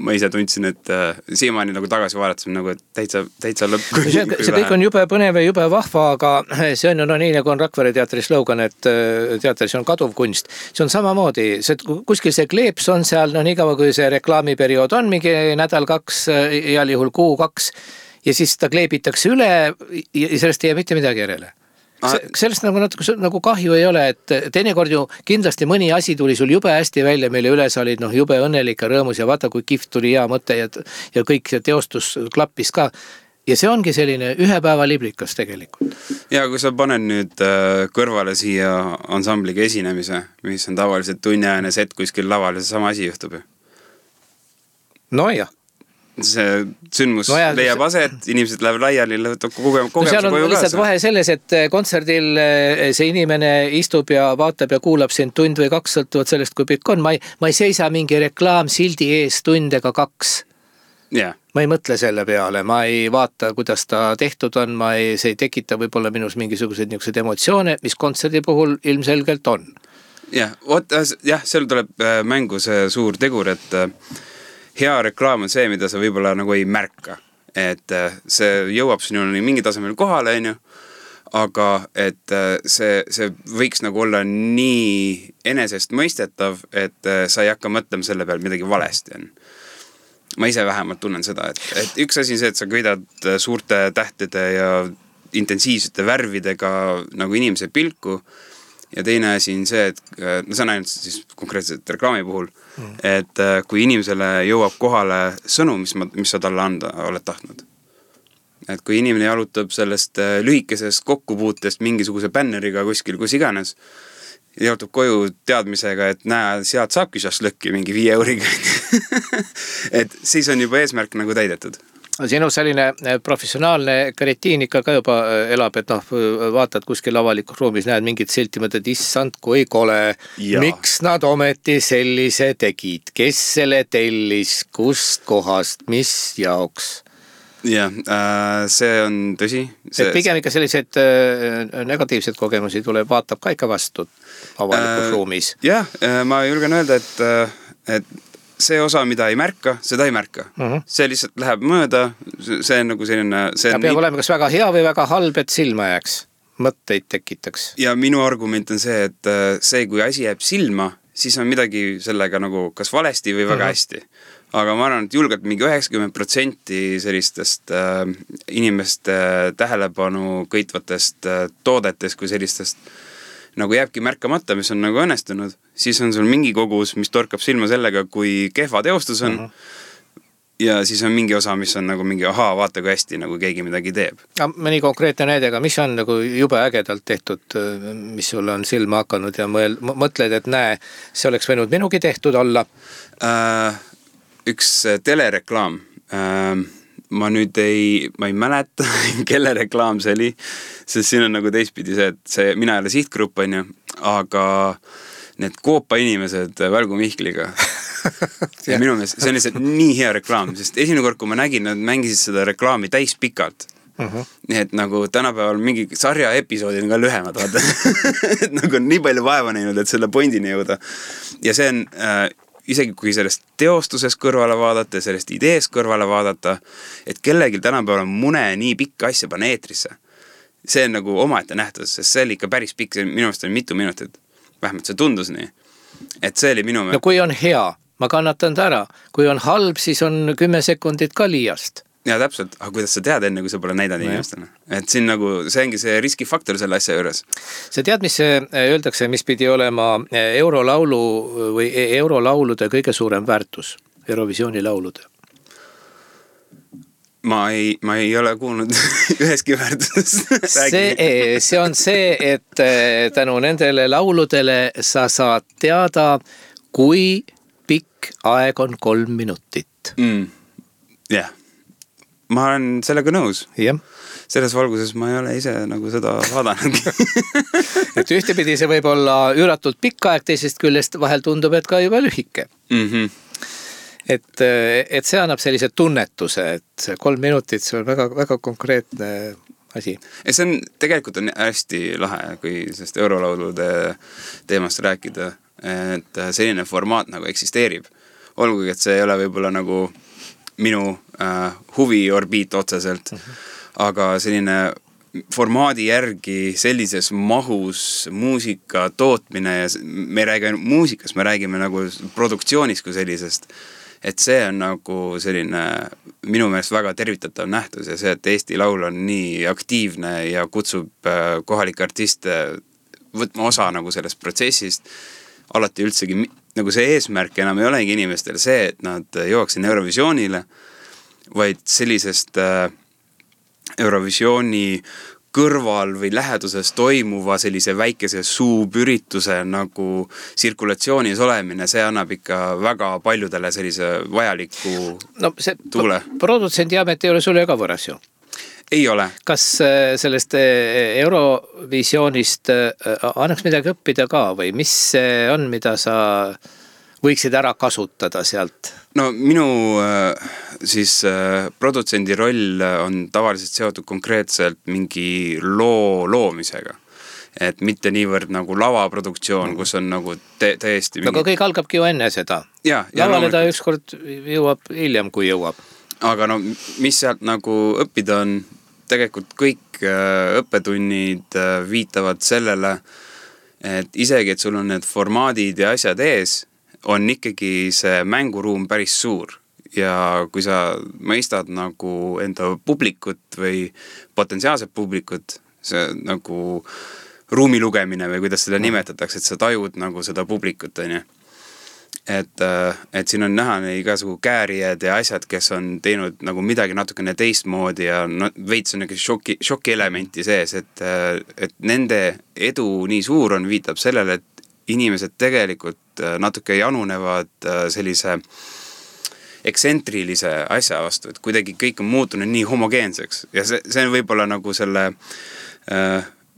Ma ise tundsin, et siiamaani nagu tagasi vaadatasime, nagu, et täitsa lõpp. See kõik on jube põnev ja jube vahva, aga see on nii, nagu on Rakvere teatri slogan, et teatris on kaduv kunst. See on samamoodi, kuskil see kleeps on seal, nii kaua kui see reklaamiperiood on, mingi nädal 2, heal juhul kuu 2, ja siis ta kleebitakse üle ja sellest ei jää mitte midagi järele. Sellest nagu kahju ei ole, et teinekord ju kindlasti mõni asi tuli sul jube hästi välja, meile üles olid jube õnnelik ja rõõmus ja vaata, kui kihvt tuli hea mõte ja kõik see teostus klappis ka. Ja see ongi selline ühe päeva liblikas tegelikult. Ja kui sa panen nüüd kõrvale siia ansambliga esinemise, mis on tavaliselt tunniajane set kuskil laval ja see sama asi juhtub. No jah. See sündmus leiab aset, inimesed lähevad laiali, kogemuse seal on lihtsalt vahe selles, et kontserdil see inimene istub ja vaatab ja kuulab sind tund või 2 sõltuvad sellest, kui pikk on. Ma ei seisa mingi reklaamsildi ees tund ega 2. Yeah. Ma ei mõtle selle peale, ma ei vaata, kuidas ta tehtud on, see ei tekita võib-olla minus mingisugused niisugused emotsioone, mis kontserdi puhul ilmselgelt on. Jah, seal tuleb mängu see suur tegur, et hea reklaam on see, mida sa võib-olla nagu ei märka. Et see jõuab sinuni mingi tasemel kohale, aga et see võiks nagu olla nii enesest mõistetav, et sa ei hakka mõtlema selle peal midagi valesti on. Ma ise vähemalt tunnen seda, et üks asi on see, et sa kõidad suurte tähtede ja intensiivsete värvidega nagu inimese pilku ja teine asi on see, et see on ainult siis konkreetselt reklaami puhul, et kui inimesele jõuab kohale sõnu, mis sa talle anda oled tahtnud. Et kui inimene jalutab sellest lühikesest kokkupuutest mingisuguse bänneriga kuskil, kus iganes, jalutab koju teadmisega, et näe, sealt saabki šašlõkki mingi 5 euriga. Et siis on juba eesmärk nagu täidetud. Sinu selline professionaalne karetiin ikka ka juba elab, et vaatad kuskil avalikus ruumis, näed mingit silti, mõtled, issand, kui kole, miks nad ometi sellise tegid, kes selle tellis, kust kohast, mis jaoks? Jah, see on tõsi. Et pigem ikka sellised negatiivsed kogemusi tuleb, vaatab ka ikka vastu avalikus ruumis. Jah, ma julgen öelda, et see osa, mida ei märka, seda ei märka. See lihtsalt läheb mööda, see on nagu selline... Ta peab olema kas väga hea või väga halb, et silma jääks, mõtteid tekitaks. Ja minu argument on see, et see, kui asi jääb silma, siis on midagi sellega nagu kas valesti või väga hästi. Aga ma arvan, et julgelt mingi 90% sellistest inimeste tähelepanu kõitvatest toodetest kui sellistest nagu jääbki märkamata, mis on nagu õnnestunud, siis on sul mingi kogus, mis torkab silma sellega, kui kehva teostus on. ja siis on mingi osa, mis on nagu mingi ahaa, vaata kui hästi nagu keegi midagi teeb. Mõni konkreetne näide, aga mis on nagu jube ägedalt tehtud, mis sulle on silma hakanud ja mõtled, et näe, see oleks võinud minugi tehtud olla? Üks telereklaam. Ma ei mäleta, kelle reklaam see oli, sest siin on nagu teistpidi see, et mina ei ole sihtgrupp, on ju, aga need Koopa inimesed Välgu Mihkliga. Ja minu meelest see on lihtsalt nii hea reklaam, sest esimene kord, kui ma nägin, nad mängisid seda reklaami täis pikalt. Nii et nagu tänapäeval mingi sarja episoodid on ka lühemad, vaata. Et nagu on nii palju vaeva näinud, et selle pointini jõuda. Ja see on isegi kui sellest teostuses kõrvale vaadata ja sellest idees kõrvale vaadata, et kellegil tänapäeval on mune nii pikka asja panna eetrisse. See on nagu omaette nähtus, sest see oli ikka päris pikk, minu meelest on mitu minutit. Vähemalt see tundus nii. Et see oli minu meelest. No kui on hea, ma kannatan ta ära. Kui on halb, siis on 10 sekundit ka liiast. Ja täpselt, aga kuidas sa tead enne, kui sa pole näidanud inimestele? Et siin nagu, see ongi see riskifaktor selle asja juures. Sa tead, mis öeldakse, mis pidi olema eurolaulu või eurolaulude kõige suurem väärtus, Eurovisiooni laulude? Ma ei ole kuulnud üheski väärtuses. See on see, et tänu nendele lauludele sa saad teada, kui pikk aeg on 3 minutit. Jah. Ma olen sellega nõus. Jah. Selles valguses ma ei ole ise nagu seda vaadanudki. Et ühtepidi see võib olla üüratult pikk aeg, teisest küljest vahel tundub, et ka juba lühike. Et see annab sellise tunnetuse, et 3 minutit, see on väga, väga konkreetne asi. Ja see on, tegelikult on hästi lahe, kui sellest eurolaulude teemast rääkida, et selline formaat nagu eksisteerib. Olgugi, et see ei ole võib-olla nagu minu huviorbiit otseselt, aga selline formaadi järgi sellises mahus muusika tootmine ja me ei räägi muusikast, me räägime nagu produktsioonist kui sellisest. Et see on nagu selline minu meelest väga tervitatav nähtus ja see, et Eesti Laul on nii aktiivne ja kutsub kohalike artiste võtma osa nagu sellest protsessist, alati üldsegi nagu see eesmärk enam ei olegi inimestel see, et nad jõuaksid Eurovisioonile, vaid sellisest Eurovisiooni kõrval või läheduses toimuva sellise väikese suupürituse nagu tsirkulatsioonis olemine, see annab ikka väga paljudele sellise vajaliku tuule. Produtsendiamet ei ole sulle ka võras ju? Ei ole. Kas sellest Eurovisioonist annaks midagi õppida ka või mis on, mida sa võiksid ära kasutada sealt? No minu siis produtsendi roll on tavaliselt seotud konkreetselt mingi loo loomisega. Et mitte niivõrd nagu lavaproduktsioon, kus on nagu täiesti mingi... Aga kõik algabki ju enne seda. Lavale ta ükskord jõuab hiljem, kui jõuab. Aga no mis sealt nagu õppida on, tegelikult kõik õppetunnid viitavad sellele, et isegi, et sul on need formaadid ja asjad ees, on ikkagi see mänguruum päris suur ja kui sa mõistad nagu enda publikut või potentsiaalset publikut, see nagu ruumi lugemine või kuidas seda nimetatakse, et sa tajud nagu seda publikut, on ju. Et siin on näha igasugu käärijad ja asjad, kes on teinud nagu midagi natukene teistmoodi ja veits on šoki elementi sees, et nende edu nii suur on, viitab sellele, et inimesed tegelikult natuke janunevad sellise eksentrilise asja vastu, et kuidagi kõik on muutunud nii homogeenseks ja see on võib-olla nagu selle,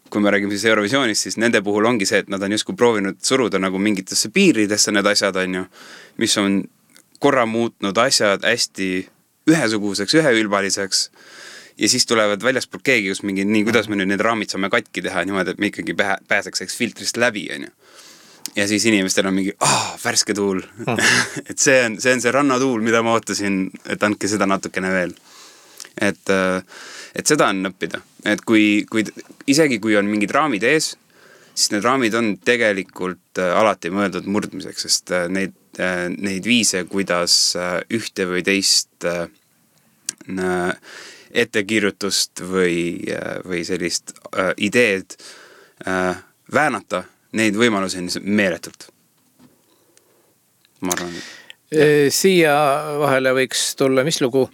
kui me räägime siis Eurovisioonist, siis nende puhul ongi see, et nad on justkui proovinud suruda nagu mingitesse piiridesse need asjad, on ju, mis on korra muutnud asjad hästi ühesuguseks, üheülbaliseks ja siis tulevad väljaspool keegi, kus mingi nii, kuidas me nüüd need raamid saame katki teha niimoodi, et me ikkagi pääseks filtrist läbi, on ju. Ja siis inimestel on mingi, värske tuul. Et see on see rannatuul, mida ma ootasin, et andke seda natukene veel. Et seda on õppida. Et isegi kui on mingid raamid ees, siis need raamid on tegelikult alati mõeldud murdmiseks, sest neid viise, kuidas ühte või teist ettekirjutust või sellist ideed väänata, neid võimalusi on meeletult. Ma arvan. Siia vahele võiks tulla, mis lugu?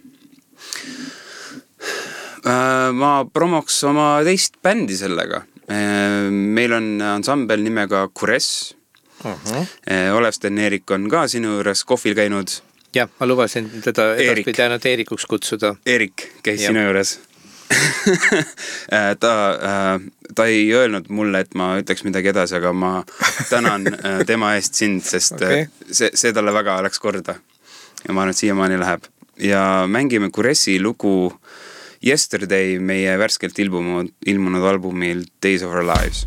Ma promoks oma teist bändi sellega. Meil on ansambel nimega Kures. Olev Sten-Erik on ka sinu juures kohvil käinud. Jah, ma lubasin teda edaspidi ainult Eerikuks kutsuda. Erik käis sinu juures. ta ei öelnud mulle, et ma ütleks midagi edasi, aga ma tänan tema eest sind, sest see talle väga läks korda. Ja ma arvan, et siiamaani läheb. Ja mängime Kuresi lugu Yesterday meie värskelt ilmunud albumil Days of Our Lives.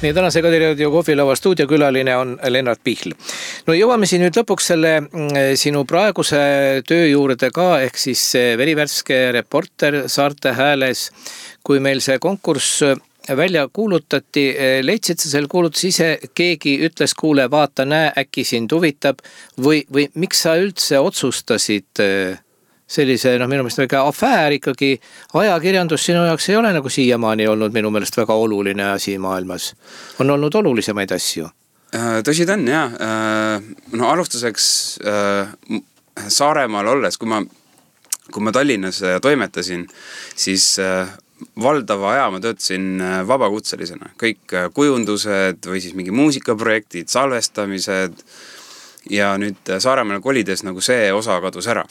Nii tänase Kadiraadio kohvilava stuudiokülaline on Lennart Pihl. No jõuame siin nüüd lõpuks selle sinu praeguse töö juurde ka, ehk siis verivärske reporter Saarte Hääles. Kui meil see konkurss välja kuulutati, leidsid sa selle kuulutus ise, keegi ütles, kuule, vaata, näe, äkki sind huvitab või miks sa üldse otsustasid sellise, minu meelest väga afäär ikkagi, ajakirjandus sinu jaoks ei ole nagu siiamaani olnud minu meelest väga oluline asi maailmas. On olnud olulisemaid asju. Tõsi ta on, jah. No alustuseks Saaremaal olles, kui ma Tallinnas toimetasin, siis valdava aja ma töötasin vabakutselisena. Kõik kujundused või siis mingi muusikaprojektid, salvestamised ja nüüd Saaremaale kolides nagu see osa kadus ära.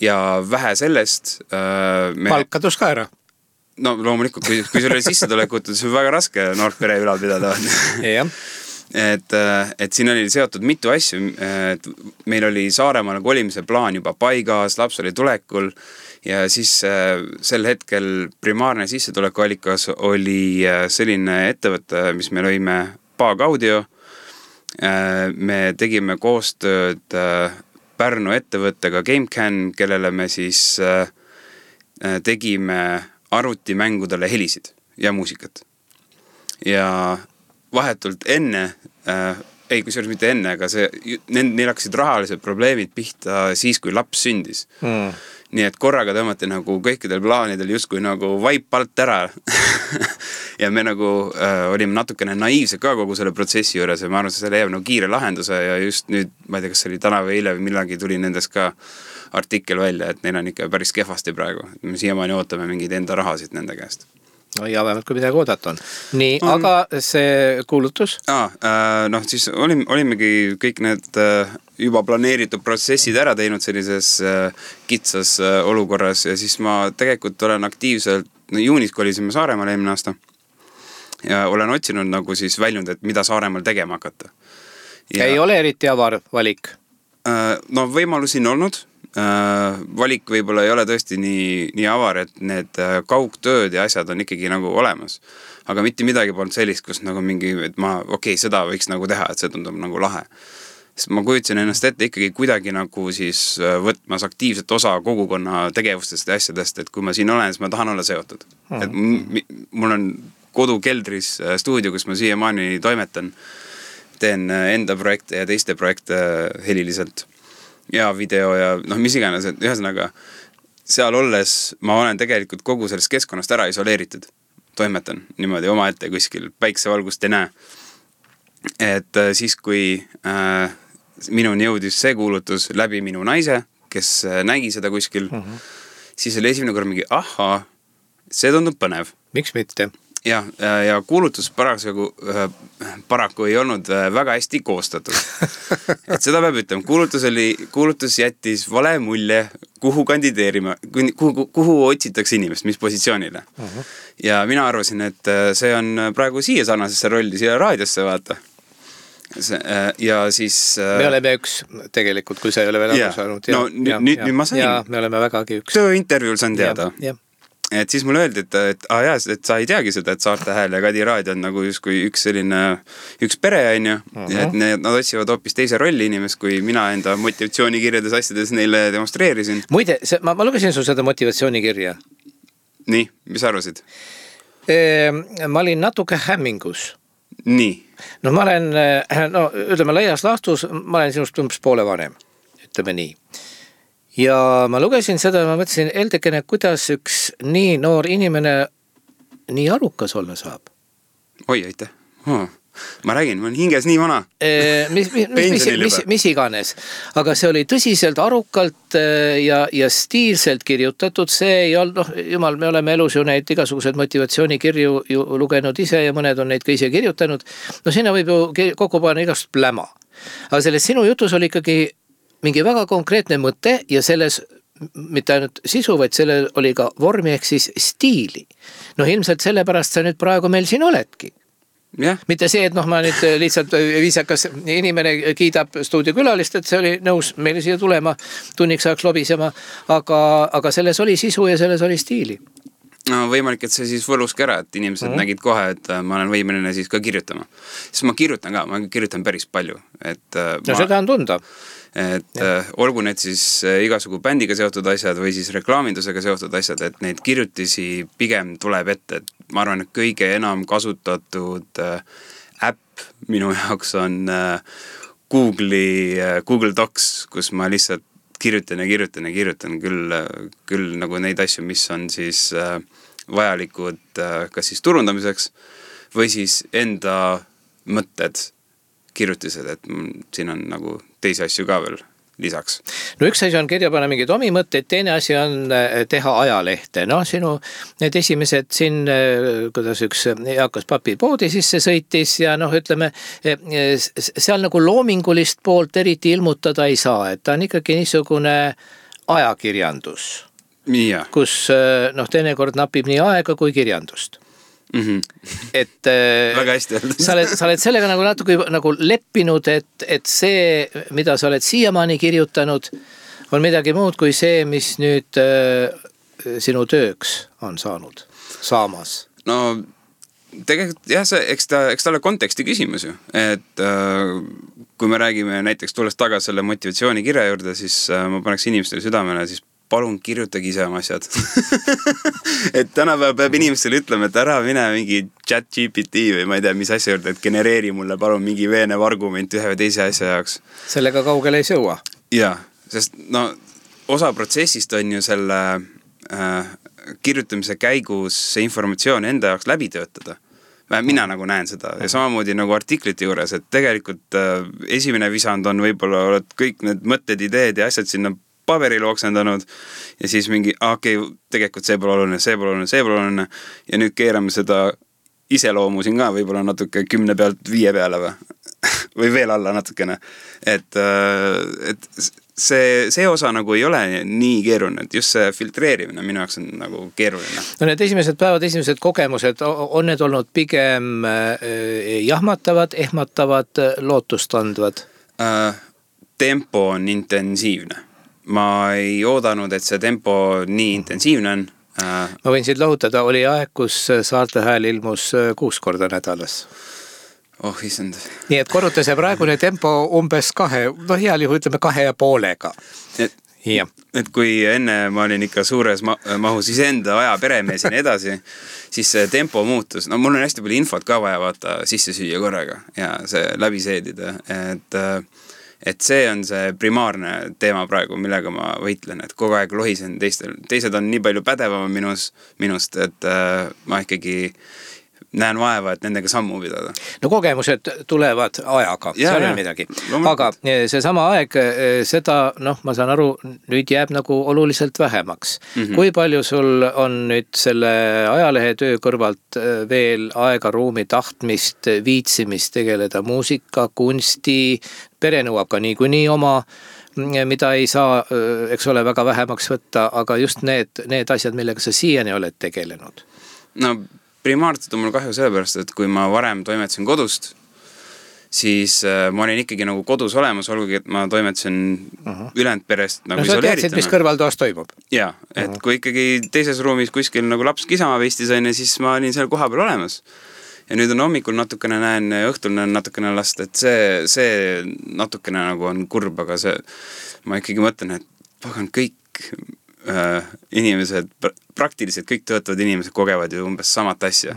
Ja vähe sellest palk kadus ka ära. No loomulikult, kui sul oli sissetulekut, siis on väga raske noort pere ülal pidada. Jah. Et siin oli seotud mitu asju, et meil oli Saaremaale kolimise plaan juba paigas, laps oli tulekul ja siis sel hetkel primaarne sissetulekuallikas oli selline ettevõte, mis me lõime Paag Audio. Me tegime koostööd Pärnu ettevõttega GameCAN, kellele me siis tegime arvutimängudele helisid ja muusikat. Ja vahetult enne, kusjuures mitte enne, aga neil hakkasid rahalised probleemid pihta siis, kui laps sündis. Nii et korraga tõmmati nagu kõikidel plaanidel justkui nagu vaip alt ära. Ja me nagu olime natukene naiivsed ka kogu selle protsessi juures ja ma arvan, see leiab nagu kiire lahenduse ja just nüüd, ma ei tea, kas see oli täna või eile või millalgi tuli nendest ka artikkel välja, et neil on ikka päris kehvasti praegu. Me siiamaani ootame mingeid enda rahasid nende käest. No ja vähemalt kui midagi oodata on. Nii, aga see kuulutus? Siis olimegi kõik need juba planeeritud protsessid ära teinud sellises kitsas olukorras ja siis ma tegelikult olen aktiivselt, juunis kolisime Saaremaale eelmine aasta ja olen otsinud nagu siis väljund, et mida Saaremaal tegema hakata. Ja, ei ole eriti avar valik? No võimalusi on olnud. Valik võib-olla ei ole tõesti nii avar, et need kaugtööd ja asjad on ikkagi nagu olemas. Aga mitte midagi polnud sellist, kus nagu mingi, et seda võiks nagu teha, et see tundub nagu lahe. Sest ma kujutasin ennast ette ikkagi kuidagi nagu siis võtmas aktiivset osa kogukonna tegevustest ja asjadest, et kui ma siin olen, siis ma tahan olla seotud. Et mul on kodukeldris stuudio, kus ma siiamaani toimetan. Teen enda projekte ja teiste projekte heliliselt. Ja video ja mis iganes, et ühesõnaga seal olles ma olen tegelikult kogu sellest keskkonnast ära isoleeritud. Toimetan niimoodi oma ette kuskil, päiksevalgust ei näe. Et siis, kui minuni jõudis see kuulutus läbi minu naise, kes nägi seda kuskil, siis oli esimene kord mingi, see tundub põnev. Miks mitte? Ja kuulutus paraku ei olnud väga hästi koostatud. Et seda peab ütlema. Kuulutus jättis vale mulje, kuhu kandideerima, kuhu otsitakse inimest, mis positsioonile. Ja mina arvasin, et see on praegu siia sarnasesse rolli, siia raadiosse vaata. Ja siis... Me oleme üks tegelikult, kui sa ei ole veel aru saanud. Nüüd ma sain. Ja me oleme vägagi üks. Tööintervjuul saan teada. Et siis mulle öeldi, et sa ei teagi seda, et Saarte Hääl ja Kadi Raadio on nagu justkui üks pere on ju, ja et nad otsivad hoopis teise rolli inimest, kui mina enda motivatsioonikirjades asjades neile demonstreerisin. Muide, ma lugesin su seda motivatsioonikirja. Nii, mis arvasid? Ma olin natuke hämmingus. Nii. No ma olen, ütleme laias laastus, ma olen sinust umbes poole vanem, ütleme nii. Ja ma lugesin seda ja ma mõtlesin, Eldekene, kuidas üks nii noor inimene nii arukas olla saab? Oi, aitäh. Ma räägin, ma olen hinges nii vana. Mis iganes. Aga see oli tõsiselt arukalt ja stiilselt kirjutatud. See ei olnud, jumal, me oleme elus ju neid igasugused motivatsioonikirju ju lugenud ise ja mõned on neid ka ise kirjutanud. No sinna võib ju kokku panna igast pläma. Aga selles sinu jutus oli ikkagi mingi väga konkreetne mõte ja selles mitte ainult sisu, vaid sellel oli ka vormi ehk siis stiili. No ilmselt sellepärast sa nüüd praegu meil siin oledki. Yeah. Mitte see, et ma nüüd lihtsalt viisakas inimene kiidab stuudiokülalist, et see oli nõus meile siia tulema, tunniks ajaks lobisema, aga selles oli sisu ja selles oli stiili. No võimalik, et see siis võluski ära, et inimesed nägid kohe, et ma olen võimeline siis ka kirjutama. Siis ma kirjutan päris palju. Seda on tunda. Et olgu need siis igasugu bändiga seotud asjad või siis reklaamindusega seotud asjad, et neid kirjutisi pigem tuleb ette. Et ma arvan, et kõige enam kasutatud äpp minu jaoks on Google Docs, kus ma lihtsalt kirjutan küll nagu neid asju, mis on siis vajalikud kas siis turundamiseks või siis enda mõtted kirjutised, et siin on nagu teisi asju ka veel lisaks. No üks asi on kirja panna mingeid omi mõtteid, teine asi on teha ajalehte. No sinu need esimesed siin, kuidas üks eakas papi poodi sisse sõitis ja noh, ütleme, seal nagu loomingulist poolt eriti ilmutada ei saa, et ta on ikkagi niisugune ajakirjandus, kus noh, teinekord napib nii aega kui kirjandust. Et väga hästi öeldud. sa oled sellega nagu natuke nagu leppinud, et see, mida sa oled siiamaani kirjutanud, on midagi muud kui see, mis nüüd sinu tööks on saamas. No tegelikult jah, eks ta ole konteksti küsimus ju, et kui me räägime näiteks tulles tagasi selle motivatsioonikirja juurde, siis ma paneks inimestele südamele, siis palun kirjutage ise oma asjad. Et tänapäeval peab inimestele ütlema, et ära mine mingi ChatGPT või ma ei tea, mis asja juurde, et genereeri mulle palun mingi veenev argument ühe või teise asja jaoks. Sellega kaugele ei sõua. Jaa, sest no osa protsessist on ju selle kirjutamise käigus see informatsioon enda jaoks läbi töötada. Mina nagu näen seda ja samamoodi nagu artiklite juures, et tegelikult esimene visand on võib-olla oled kõik need mõtted, ideed ja asjad sinna paberil oksendanud ja siis mingi, tegelikult see pole oluline ja nüüd keerame seda iseloomu siin ka võib-olla natuke 10 pealt 5 peale või veel alla natukene. Et see osa nagu ei ole nii keeruline, et just see filtreerimine minu jaoks on nagu keeruline. No need esimesed päevad, esimesed kogemused, on need olnud pigem jahmatavad, ehmatavad, lootustandvad? Tempo on intensiivne. Ma ei oodanud, et see tempo nii intensiivne on. Ma võin siit lohutada, oli aeg, kus Saarte Hääl ilmus 6 korda nädalas. Oh, isend. Nii et korruta see praegune tempo umbes 2, no heal juhul ütleme 2,5-ga. Et kui enne ma olin ikka suures mahus iseenda aja peremees ja nii edasi, siis see tempo muutus. No mul on hästi palju infot ka vaja vaata sisse süüa korraga ja see läbi seedida, et see on see primaarne teema praegu, millega ma võitlen, et kogu aeg lohisen teised on nii palju pädevama minust, et ma ikkagi näen vaeva, et nendega sammu pidada. No kogemused tulevad ajaga, seal on midagi. Aga see sama aeg, seda, noh, ma saan aru, nüüd jääb nagu oluliselt vähemaks. Kui palju sul on nüüd selle ajalehe töö kõrvalt veel aega, ruumi, tahtmist, viitsimist tegeleda muusika, kunsti, pere nõuab ka niikuinii oma, mida ei saa, eks ole, väga vähemaks võtta, aga just need asjad, millega sa siiani oled tegelenud? No primaarselt on mul kahju sellepärast, et kui ma varem toimetasin kodust, siis ma olin ikkagi nagu kodus olemas, olgugi, et ma toimetasin ülejäänud perest nagu isoleerituna. No sa teadsid, mis kõrvaltoas toimub? Jaa, et kui ikkagi teises ruumis kuskil nagu laps kisama veistis on, siis ma olin seal koha peal olemas. Ja nüüd on hommikul natukene näen ja õhtul näen natukene last, et see natukene nagu on kurb, aga ma ikkagi mõtlen, et pagan kõik inimesed, praktiliselt kõik töötavad inimesed kogevad ju umbes samat asja.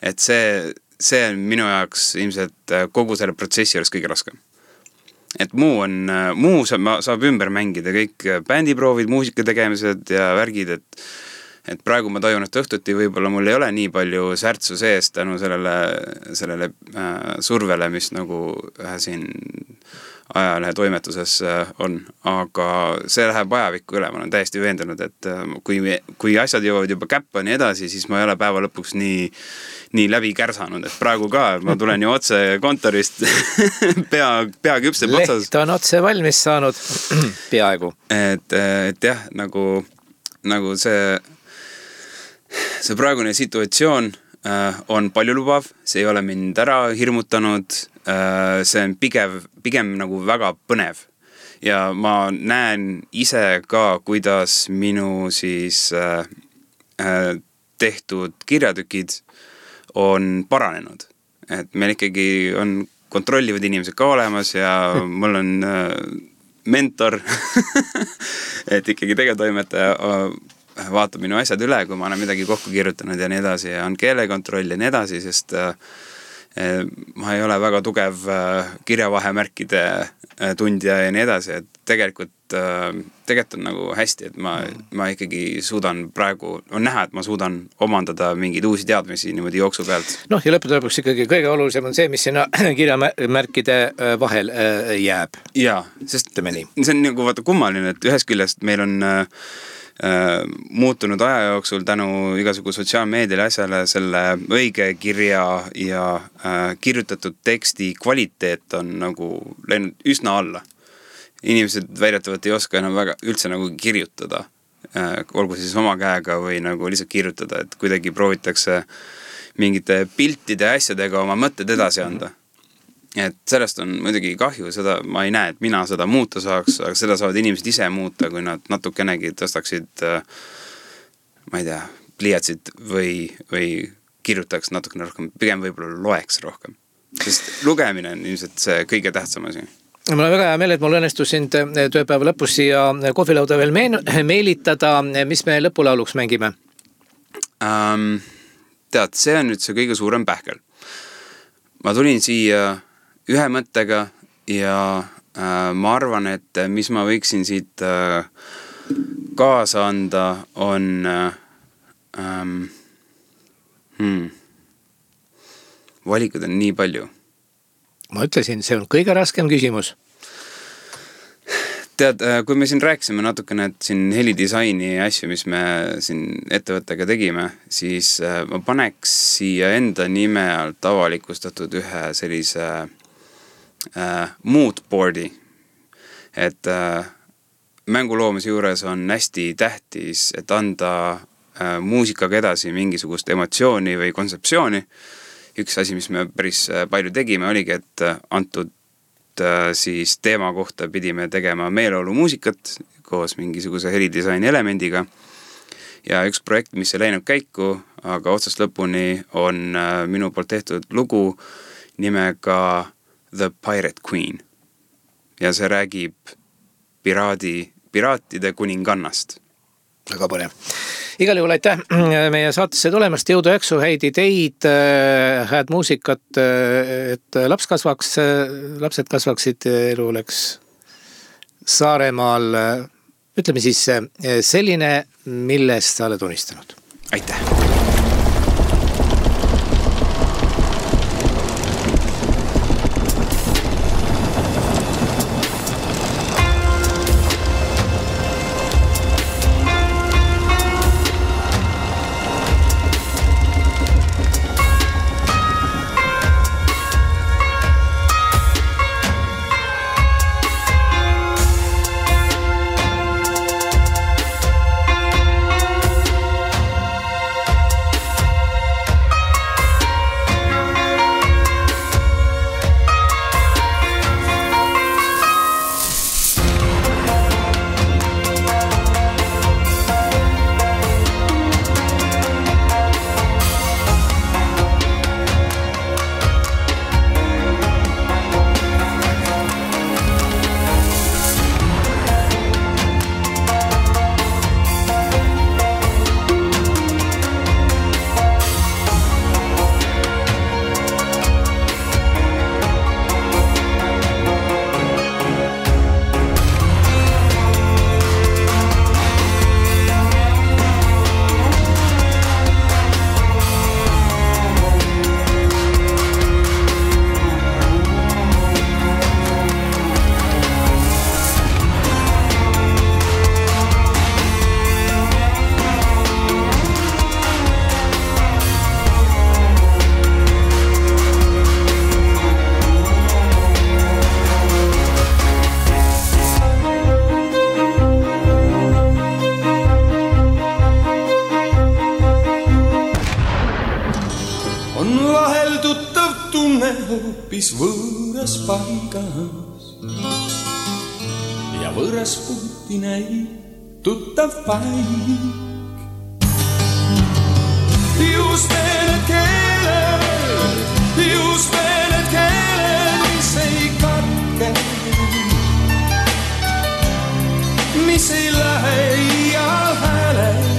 Et see on minu jaoks ilmselt kogu selle protsessi juures kõige raskem. Et muu saab ümber mängida, kõik bändiproovid, muusika tegemised ja värgid, et praegu ma tajun, et õhtuti võib-olla mul ei ole nii palju särtsu sees tänu sellele survele, mis nagu siin ajalehe toimetuses on, aga see läheb ajavikku üle, ma olen täiesti veendunud, et kui asjad jõuavad juba käppa nii edasi, siis ma ei ole päeva lõpuks nii läbi kärsanud, et praegu ka ma tulen ju otse kontorist pea küpseb otsas. Leht on otse valmis saanud peaaegu. Et jah, nagu see praegune situatsioon on paljulubav, see ei ole mind ära hirmutanud, see on pigem nagu väga põnev. Ja ma näen ise ka, kuidas minu siis tehtud kirjatükid on paranenud. Et meil ikkagi on kontrollivad inimesed ka olemas ja mul on mentor, et ikkagi tegevtoimetaja vaatab minu asjad üle, kui ma olen midagi kokku kirjutanud ja nii edasi ja on keelekontroll ja nii edasi, sest ma ei ole väga tugev kirjavahemärkide tundja ja nii edasi, et tegelikult tegelikult on nagu hästi, et ma ikkagi suudan praegu, on näha, et ma suudan omandada mingeid uusi teadmisi niimoodi jooksu pealt. Noh, ja lõppude lõpuks ikkagi kõige olulisem on see, mis sinna kirjamärkide vahel jääb. Jaa, sest see on nagu vaata kummaline, et ühest küljest meil on muutunud aja jooksul tänu igasugu sotsiaalmeediale asjale selle õige kirja ja kirjutatud teksti kvaliteet on nagu läinud üsna alla. Inimesed väidetavalt ei oska enam väga üldse nagu kirjutada, olgu siis oma käega või nagu lihtsalt kirjutada, et kuidagi proovitakse mingite piltide asjadega oma mõtted edasi anda. Et sellest on muidugi kahju, seda ma ei näe, et mina seda muuta saaks, aga seda saavad inimesed ise muuta, kui nad natukenegi tõstaksid, ma ei tea, pliiatsid või kirjutaks natukene rohkem, pigem võib-olla loeks rohkem. Sest lugemine on ilmselt see kõige tähtsam asi. Mul on väga hea meel, et mul õnnestus sind tööpäeva lõpus siia kohvilauda veel meelitada, mis me lõpulauluks mängime? Tead, see on nüüd see kõige suurem pähkel. Ma tulin siia ühe mõttega ja ma arvan, et mis ma võiksin siit kaasa anda on valikud on nii palju. Ma ütlesin, see on kõige raskem küsimus. Tead, kui me siin rääkisime natukene, et siin helidisaini asju, mis me siin ettevõttega tegime, siis ma paneks siia enda nime alt avalikustatud ühe sellise moodboardi, et mänguloomise juures on hästi tähtis, et anda muusikaga edasi mingisugust emotsiooni või kontseptsiooni. Üks asi, mis me päris palju tegime, oligi, et antud siis teema kohta pidime tegema meeleolu muusikat koos mingisuguse helidisaini elemendiga ja üks projekt, mis ei läinud käiku, aga otsast lõpuni on minu poolt tehtud lugu nimega The Pirate Queen ja see räägib piraatide kuningannast. Väga põnev. Igal juhul aitäh meie saatesse tulemast, jõudu jaksu, häid ideid, hääd muusikat, et lapsed kasvaksid, elu oleks Saaremaal, ütleme siis selline, millest sa oled unistanud. Aitäh! hoopis võõras paigas ja võõras puhti näib tuttav paik. Just need keeled, mis ei katke, mis ei lähe iial häälest.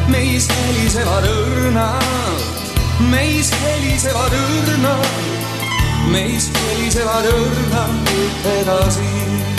Meis helisevad õrnad, meist helisevad õrnad edasi.